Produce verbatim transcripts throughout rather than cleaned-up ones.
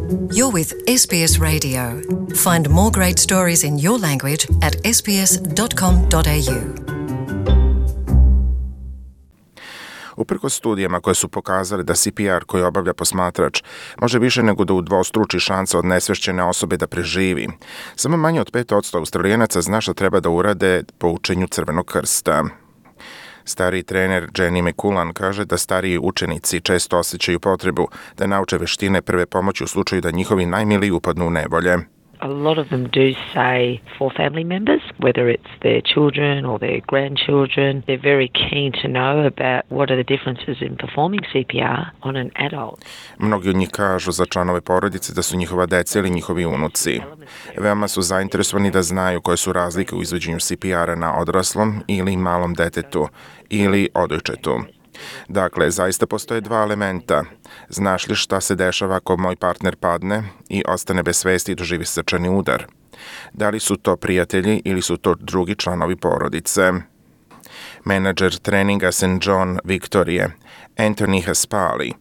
You're with S B S Radio. Find more great stories in your language at s b s dot com dot a u. Uprkos studijama koje su pokazale da C P R koji obavlja posmatrač može više nego da udvostruči šanse od nesvešćene osobe da preživi, samo manje od pet posto Australijanaca zna šta treba da urade po učenju Crvenog krsta. Stariji trener Jenny McCullan kaže da stariji učenici često osjećaju potrebu da nauče veštine prve pomoći u slučaju da njihovi najmiliji upadnu u nevolje. A lot of them do say for family members, whether it's their children or their grandchildren, they're very keen to know about what are the differences in performing C P R on an adult. Mnogi od njih kažu za članove porodice da su njihova deca ili njihovi unuci. Veoma su zainteresovani da znaju koje su razlike u izvođenju C P R-a na odraslom ili malom detetu ili odojčetu. Dakle, zaista postoje dva elementa. Znaš li šta se dešava ako moj partner padne i ostane bez svesti i doživi srčani udar? Da li su to prijatelji ili su to drugi članovi porodice? Menadžer treninga Saint John Viktorije, Anthony Haspali,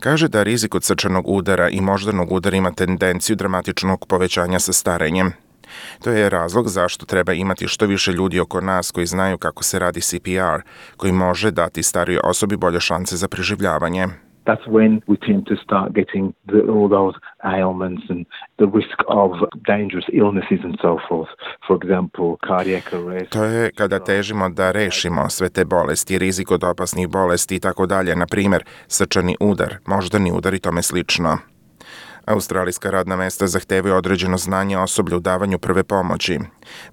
kaže da rizik od srčanog udara i moždanog udara ima tendenciju dramatičnog povećanja sa starenjem. To je razlog zašto treba imati što više ljudi oko nas koji znaju kako se radi C P R, koji može dati starijoj osobi bolje šanse za preživljavanje. That's when we tend to start getting the, all those ailments and the risk of dangerous illnesses and so forth. For example, cardiac arrest. To je kada težimo da rešimo sve te bolesti, rizik od opasnih bolesti i tako dalje, na primjer srčani udar, moždani udar i tome slično. Australijska radna mesta zahtevaju određeno znanje osoblja u davanju prve pomoći.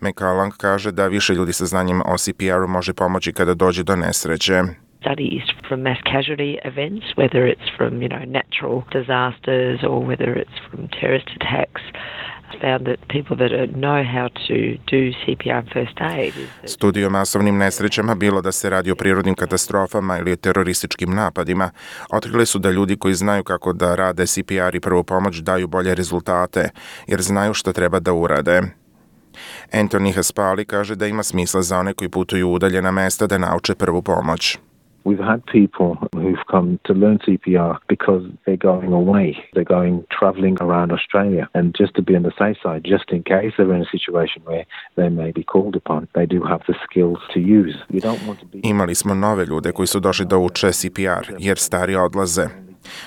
McCullan kaže da više ljudi sa znanjem o C P R-u može pomoći kada dođe do nesreće. Studies from mass casualty events, whether it's from, you know, natural disasters or whether it's from terrorist attacks, found that people that know how to do C P R and first aid. Studije o masovnim nesrećama, bilo da se radi o prirodnim katastrofama ili terorističkim napadima, otkrili su da ljudi koji znaju kako da rade C P R i prvu pomoć daju bolje rezultate, jer znaju šta treba da urade. Anthony Haspali kaže da ima smisla za one koji putuju u udaljena mesta da nauče prvu pomoć. We've had people who've come to learn C P R because they're going away. They're going traveling around Australia. And just to be on the safe side, just in case they're in a situation where they may be called upon, they do have the skills to use. You don't want to be... Imali smo nove ljude koji su došli da uče C P R, jer stari odlaze.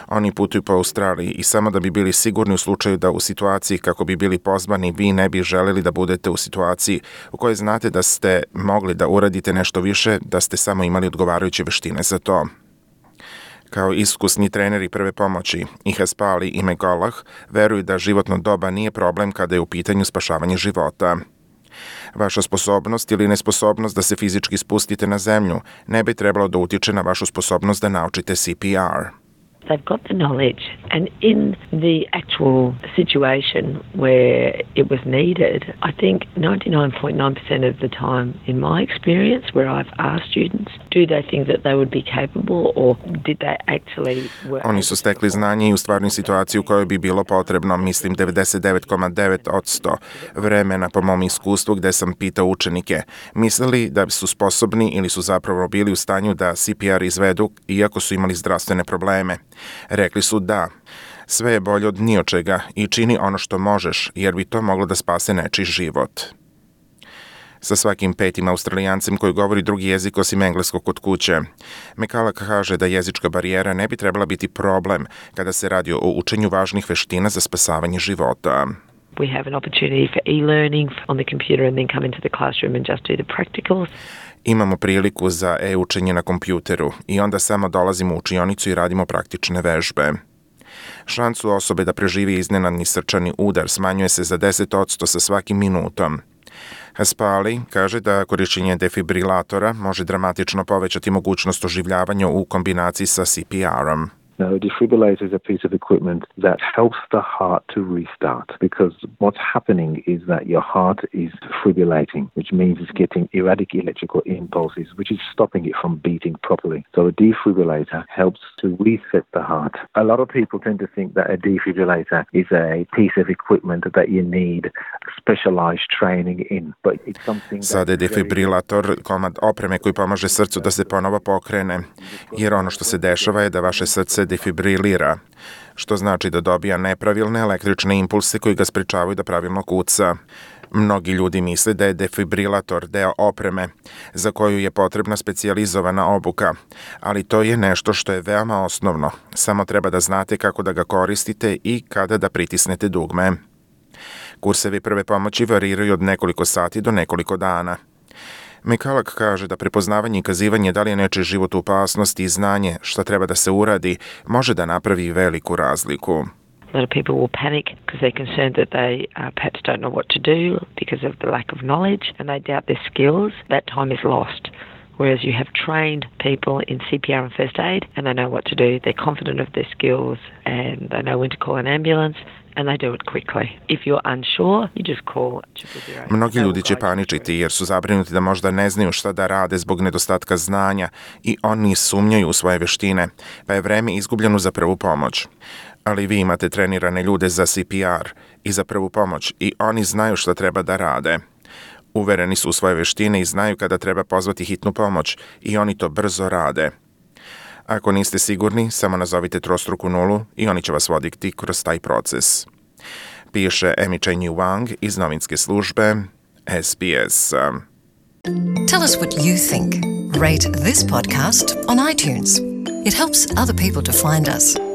Oni putuju po Australiji i samo da bi bili sigurni u slučaju da u situaciji kako bi bili pozvani vi ne bi želeli da budete u situaciji u kojoj znate da ste mogli da uradite nešto više, da ste samo imali odgovarajuće veštine za to. Kao iskusni treneri prve pomoći, i Haspali i McCullough veruju da životno doba nije problem kada je u pitanju spašavanje života. Vaša sposobnost ili nesposobnost da se fizički spustite na zemlju ne bi trebalo da utiče na vašu sposobnost da naučite C P R. They've got the knowledge, and in the actual situation where it was needed, I think ninety-nine point nine percent of the time in my experience where I've asked students, do they think that they would be capable or did they actually work? Oni su stekli znanje i u stvarnoj situaciji u kojoj bi bilo potrebno, mislim, devedeset devet zarez devet posto vremena po mom iskustvu gde sam pitao učenike, mislili da su sposobni ili su zapravo bili u stanju da C P R izvedu iako su imali zdravstvene probleme. Rekli su da. Sve je bolje od ni od čega i čini ono što možeš, jer bi to moglo da spase nečiji život. Sa svakim petim Australijancem koji govori drugi jezik osim engleskog kod kuće. McCullough kaže da jezička barijera ne bi trebala biti problem kada se radi o učenju važnih veština za spasavanje života. We have an opportunity for e-learning on the computer and then come into the classroom and just do the practicals. Imamo priliku za e-učenje na kompjuteru i onda samo dolazimo u učionicu i radimo praktične vežbe. Šansu osobe da preživi iznenadni srčani udar smanjuje se za deset posto sa svakim minutom. Haspali kaže da korišćenje defibrilatora može dramatično povećati mogućnost oživljavanja u kombinaciji sa C P R-om. Now, a defibrillator is a piece of equipment that helps the heart to restart because what's happening is that your heart is fibrillating, which means it's getting erratic electrical impulses, which is stopping it from beating properly. So a defibrillator helps to reset the heart. A lot of people tend to think that a defibrillator is a piece of equipment that you need specialized training in, but it's something that... Sada je defibrilator komad opreme koji pomaže srcu da se ponovo pokrene, jer ono što se dešava je da vaše srce defibrilira, što znači da dobija nepravilne električne impulse koji ga sprečavaju da pravilno kuca. Mnogi ljudi misle da je defibrilator deo opreme za koju je potrebna specijalizovana obuka, ali to je nešto što je veoma osnovno. Samo treba da znate kako da ga koristite i kada da pritisnete dugme. Kursevi prve pomoći variraju od nekoliko sati do nekoliko dana. Mikalak kaže da prepoznavanje i kazivanje da li je nečiji život u opasnosti i znanje šta treba da se uradi može da napravi veliku razliku. A lot of people will panic because they're concerned that they uh, perhaps don't know what to do because of the lack of knowledge and they doubt their skills. That time is lost. Whereas you have trained people in C P R and first aid and they know what to do. They're confident of their skills and they know when to call an ambulance and they do it quickly. If you're unsure, you just call triple zero. Mnogi ljudi će paničiti jer su zabrinuti da možda ne znaju šta da rade zbog nedostatka znanja i oni sumnjaju u svoje veštine, pa je vreme izgubljeno za prvu pomoć. Ali vi imate trenirane ljude za C P R i za prvu pomoć i oni znaju šta treba da rade. Uvereni su u svoje veštine i znaju kada treba pozvati hitnu pomoć i oni to brzo rade. Ako niste sigurni, samo nazovite trostruku nulu i oni će vas voditi kroz taj proces. Piše Amy Cheney Wang iz novinske službe S B S. Tell us what you think. Rate this podcast on iTunes. It helps other people to find us.